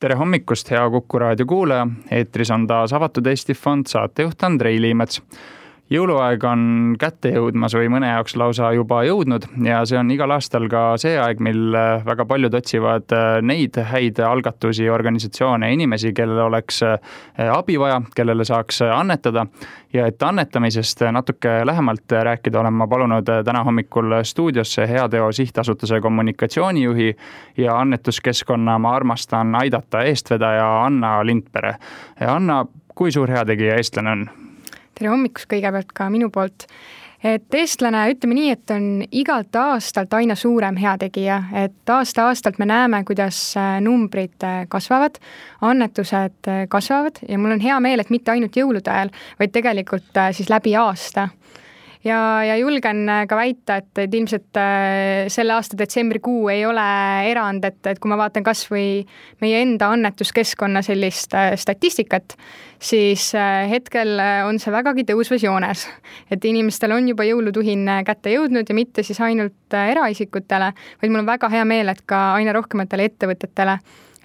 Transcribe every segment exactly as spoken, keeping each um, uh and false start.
Tere hommikust, hea Kuku raadio kuulaja. Eetris on taas avatud Eesti Fond, saatejuht Andrei Liimets. Jõuluaeg on kätte jõudmas või mõne jaoks lausa juba jõudnud ja see on igal aastal ka see aeg, mil väga paljud otsivad neid häid algatusi, organisatsioone ja inimesi, kellel oleks abi vaja, kellele saaks annetada. Ja et annetamisest natuke lähemalt rääkida, olen ma palunud täna hommikul stuudiosse Heateo Sihtasutuse kommunikatsioonijuhi ja annetuskeskkonna Ma armastan aidata eestvedaja Anna Lindpere. Anna, kui suur heategija eestlane on? Tere hommikust kõigepealt ka minu poolt. Et eestlane, ütleme nii, et on igalt aastalt aina suurem heategija, et aasta-aastalt me näeme, kuidas numbrid kasvavad, annetused kasvavad ja mul on hea meel, et mitte ainult jõulude ajal, vaid tegelikult siis läbi aasta. Ja, ja julgen ka väita, et, et ilmselt selle aasta detsembrikuu ei ole erand, et, et kui ma vaatan kas või meie enda annetuskeskkonna sellist statistikat, siis hetkel on see vägagi tõusvas joones. Et inimestel on juba jõulutuhin kätte jõudnud ja mitte siis ainult eraisikutele, vaid mul on väga hea meel, et ka aina rohkematele ettevõtetele,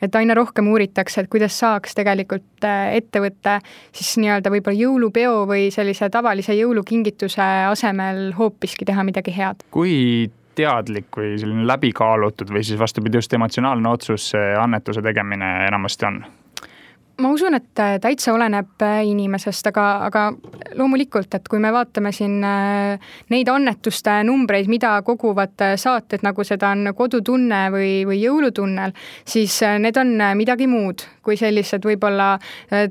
et aina rohkem uuritakse, et kuidas saaks tegelikult ettevõtte siis nii-öelda võib-olla jõulupeo või sellise tavalise jõulukingituse asemel hoopiski teha midagi head. Kui teadlik või selline läbikaalutud või siis vastupidi just emotsionaalne otsus annetuse tegemine enamasti on? Ma usun, et täitsa oleneb inimesest, aga, aga loomulikult, et kui me vaatame siin neid annetuste numbreid, mida koguvad saated, nagu seda on Kodutunne või, või Jõulutunnel, siis need on midagi muud kui sellised võib-olla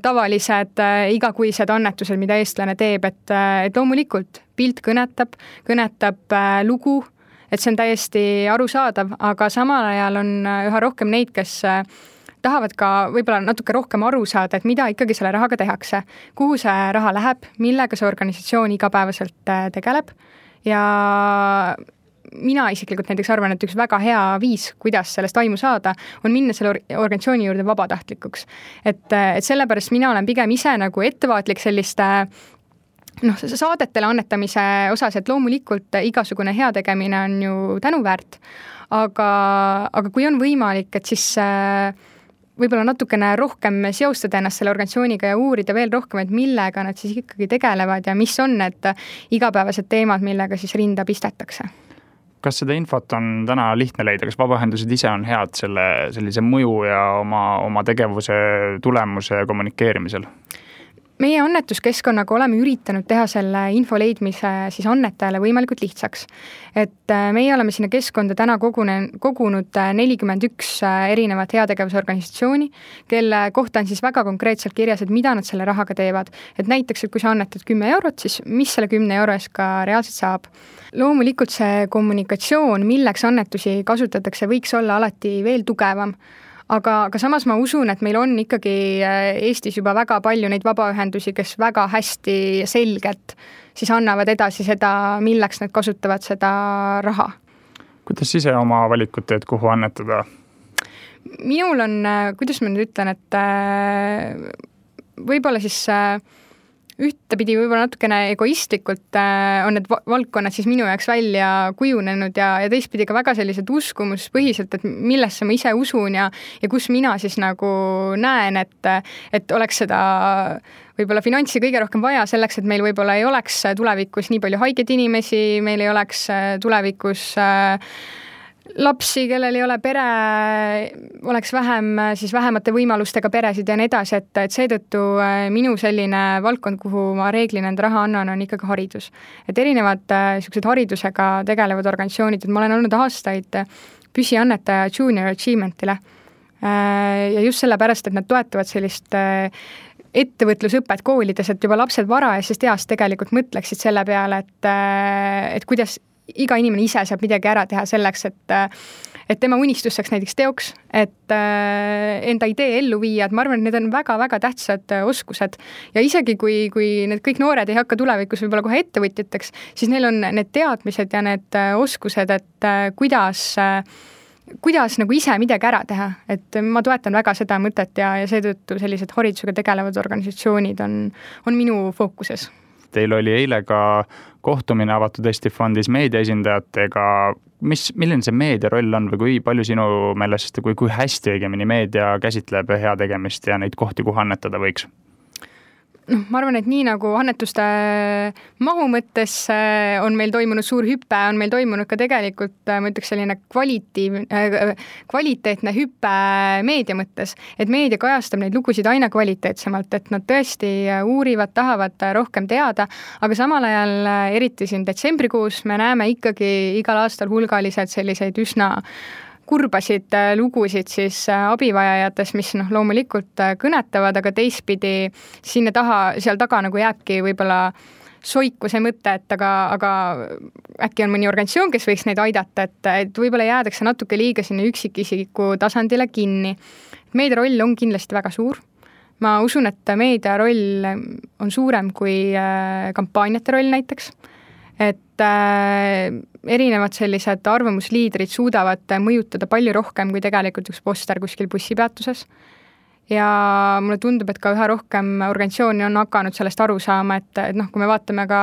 tavalised igakuised annetused, mida eestlane teeb, et, et loomulikult pilt kõnetab, kõnetab lugu, et see on täiesti arusaadav, aga samal ajal on üha rohkem neid, kes tahavad ka võib-olla natuke rohkem aru saada, et mida ikkagi selle rahaga tehakse, kuhu see raha läheb, millega see organisatsioon igapäevaselt tegeleb ja mina isiklikult näiteks arvan, et üks väga hea viis, kuidas sellest aimu saada, on minna selle organisatsiooni juurde vabatahtlikuks. Et, et sellepärast mina olen pigem ise nagu ettevaatlik selliste noh, saadetele annetamise osas, et loomulikult igasugune heategemine on ju tänuväärt, aga, aga kui on võimalik, et siis võib-olla natukene rohkem seostada ennast selle organisatsiooniga ja uurida veel rohkem, et millega nad siis ikkagi tegelevad ja mis on need igapäevased teemad, millega siis rinda pistetakse. Kas seda infot on täna lihtne leida? Kas vabaühendused ise on head selle, sellise mõju ja oma, oma tegevuse tulemuse kommunikeerimisel? Meie annetuskeskkonnaga oleme üritanud teha selle info leidmise siis annetajale võimalikult lihtsaks. Et meie oleme sinna keskkonda täna kogune, kogunud nelikümmend üks erinevat heategevusorganisatsiooni, kelle kohta on siis väga konkreetselt kirjas, et mida nad selle rahaga teevad. Et näiteks, et kui sa annetad kümme eurot, siis mis selle kümne euro eest ka reaalselt saab. Loomulikult see kommunikatsioon, milleks annetusi kasutatakse, võiks olla alati veel tugevam. Aga, aga samas ma usun, et meil on ikkagi Eestis juba väga palju neid vabaühendusi, kes väga hästi selgelt siis annavad edasi seda, milleks nad kasutavad seda raha. Kuidas ise oma valikut teed, kuhu annetada? Minul on, kuidas ma nüüd ütlen, et võib-olla siis ühtepidi võib-olla natukene egoistlikult on need valdkonnad siis minu jaoks välja kujunenud ja, ja teistpidi ka väga sellised uskumuspõhiselt, et millesse ma ise usun ja, ja kus mina siis nagu näen, et, et oleks seda võib-olla finantsi kõige rohkem vaja selleks, et meil võib-olla ei oleks tulevikus nii palju haigeid inimesi, meil ei oleks tulevikus lapsi, kellel ei ole pere, oleks vähem, siis vähemate võimalustega peresid ja nii edasi, et, et seetõttu minu selline valdkond, kuhu ma reeglina enda raha annan, on ikkagi haridus. Et erinevad sellised haridusega tegelevad organisatsioonid, et ma olen olnud aastaid püsiannetaja Junior Achievementile ja just sellepärast, et nad toetavad sellist ettevõtlusõpet koolides, et juba lapsed varajasest east tegelikult mõtleksid selle peale, et, et kuidas iga inimene ise saab midagi ära teha selleks, et, et tema unistus saaks näiteks teoks, et enda idee ellu viia, et ma arvan, et need on väga-väga tähtsad oskused ja isegi kui, kui need kõik noored ei hakka tulevikus võib-olla kohe ettevõtjateks, siis neil on need teadmised ja need oskused, et kuidas, kuidas nagu ise midagi ära teha, et ma toetan väga seda mõtet ja, ja seetõttu sellised haridusega tegelevad organisatsioonid on, on minu fookuses. Teil oli eile ka kohtumine avatud Eesti Fondis meediaesindajatega. mis, milline see meedia roll on või kui palju sinu meelest, kui, kui hästi õigemini meedia käsitleb heategemist ja neid kohti, kuhu annetada võiks? noh, ma arvan, et nii nagu annetuste mahu mõttes on meil toimunud suur hüpe, on meil toimunud ka tegelikult, ma ütleks, selline kvalitiiv, kvaliteetne hüpe meedia mõttes, et meedia kajastab neid lugusid aina kvaliteetsemalt, et nad tõesti uurivad, tahavad rohkem teada, aga samal ajal, eriti siin detsembrikuus, me näeme ikkagi igal aastal hulgaliselt selliseid üsna kurbasid lugusid siis abivajajatest, mis noh, loomulikult kõnetavad, aga teistpidi sinna taha, seal taga nagu jääbki võib-olla soiku see mõte, et aga, aga äkki on mõni organisatsioon, kes võiks neid aidata, et, et võib-olla jäädakse natuke liiga sinna üksikisiku tasandile kinni. Meedia roll on kindlasti väga suur. Ma usun, et meedia roll on suurem kui kampaaniate roll näiteks. Et äh, erinevad sellised arvamusliidrid suudavad mõjutada palju rohkem kui tegelikult üks poster kuskil bussipeatuses. Ja mulle tundub, et ka üha rohkem organisatsiooni on hakanud sellest aru saama, et, et noh, kui me vaatame ka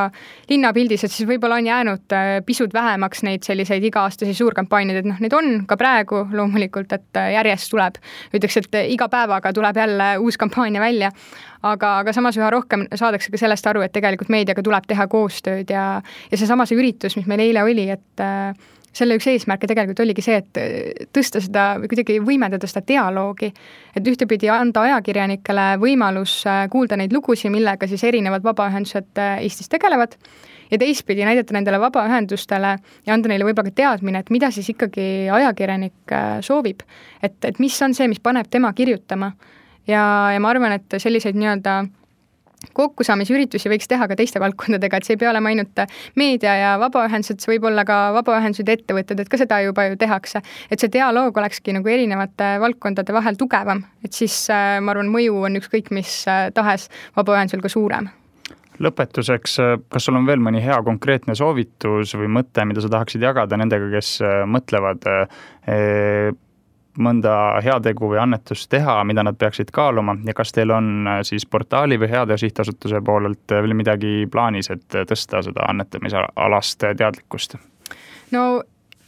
linnapildis, et siis võib-olla on jäänud pisut vähemaks neid selliseid iga-aastasi suurkampaaniaid, et noh, neid on ka praegu loomulikult, et järjest tuleb, ütleks, et iga päevaga tuleb jälle uus kampaania välja, aga, aga samas üha rohkem saadakse ka sellest aru, et tegelikult meediaga tuleb teha koostööd ja, ja see sama see üritus, mis meil eile oli, et selle üks eesmärke tegelikult oligi see, et tõsta seda või kuidagi võimendada seda dialoogi, et ühtepidi anda ajakirjanikele võimalus kuulda neid lugusid, millega siis erinevad vabaühendused Eestis tegelevad ja teistpidi näidata nendele vabaühendustele ja anda neile võib-olla ka teadmine, et mida siis ikkagi ajakirjanik soovib, et, et mis on see, mis paneb tema kirjutama ja, ja ma arvan, et selliseid nii-öelda kokkusaamisüritusi võiks teha ka teiste valdkondadega, et see ei pea olema ainult meedia ja vabaühendused, see võib olla ka vabaühendused ja ettevõtted, et ka seda juba ju tehakse. Et see dialoog olekski nagu erinevate valdkondade vahel tugevam, et siis ma arvan, mõju on ükskõik mis tahes vabaühendusel ka suurem. Lõpetuseks, kas sul on veel mõni hea konkreetne soovitus või mõte, mida sa tahaksid jagada nendega, kes mõtlevad e mõnda heategu või annetust teha, mida nad peaksid kaaluma ja kas teil on siis portaali või Heateo sihtasutuse poolelt veel midagi plaanis, et tõsta seda annetamisalast teadlikkust? No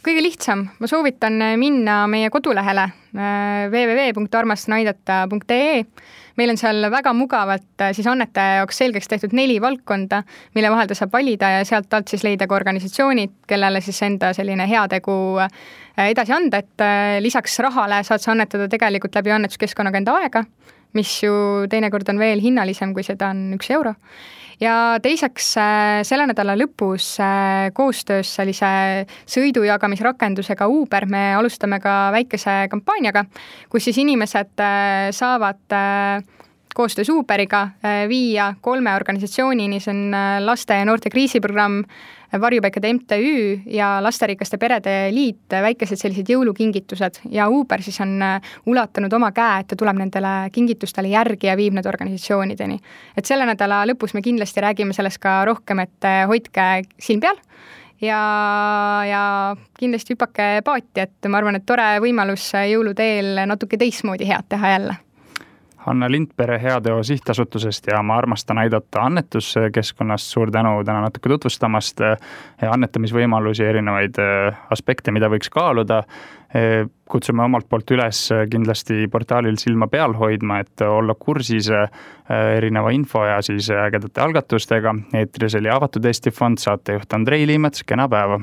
kõige lihtsam, ma soovitan minna meie kodulehele w w w punkt armastanaidata punkt e e. Meil on seal väga mugavalt siis annetaja jaoks selgeks tehtud neli valdkonda, mille vahel ta saab valida ja sealt alt siis leida ka organisatsioonid, kellele siis enda selline heategu edasi anda, et lisaks rahale saad sa annetada tegelikult läbi annetuskeskkonnaga enda aega, mis ju teinekord on veel hinnalisem, kui seda on üks euro. Ja teiseks selle nädala lõpus koostöös sellise sõidujagamisrakendusega Uber me alustame ka väikese kampaaniaga, kus siis inimesed saavad koostöös Uberiga viia kolme organisatsioonini, see on laste ja noorte kriisiprogramm, Varjupaikade M T Ü ja Lasterikaste perede liit, väikesed sellised jõulukingitused ja Uber siis on ulatanud oma käe, et ta tuleb nendele kingitustele järgi ja viib need organisatsioonideni. Et selle nädala lõpus me kindlasti räägime sellest ka rohkem, et hoidke silm peal ja, ja kindlasti hüpake paati, et ma arvan, et tore võimalus jõuluteel natuke teistmoodi head teha jälle. Hanna Lindpere Heateo sihtasutusest ja Ma armastan aidata annetuskeskkonnast. Suur tänu täna natuke tutvustamast annetamisvõimalusi, erinevaid aspekte, mida võiks kaaluda. Kutsume omalt poolt üles kindlasti portaalil silma peal hoidma, et olla kursis erineva info ja siis ägedate algatustega. Eetris oli Avatud Eesti Fond, saatejuht Andrei Liimets, kena päeva!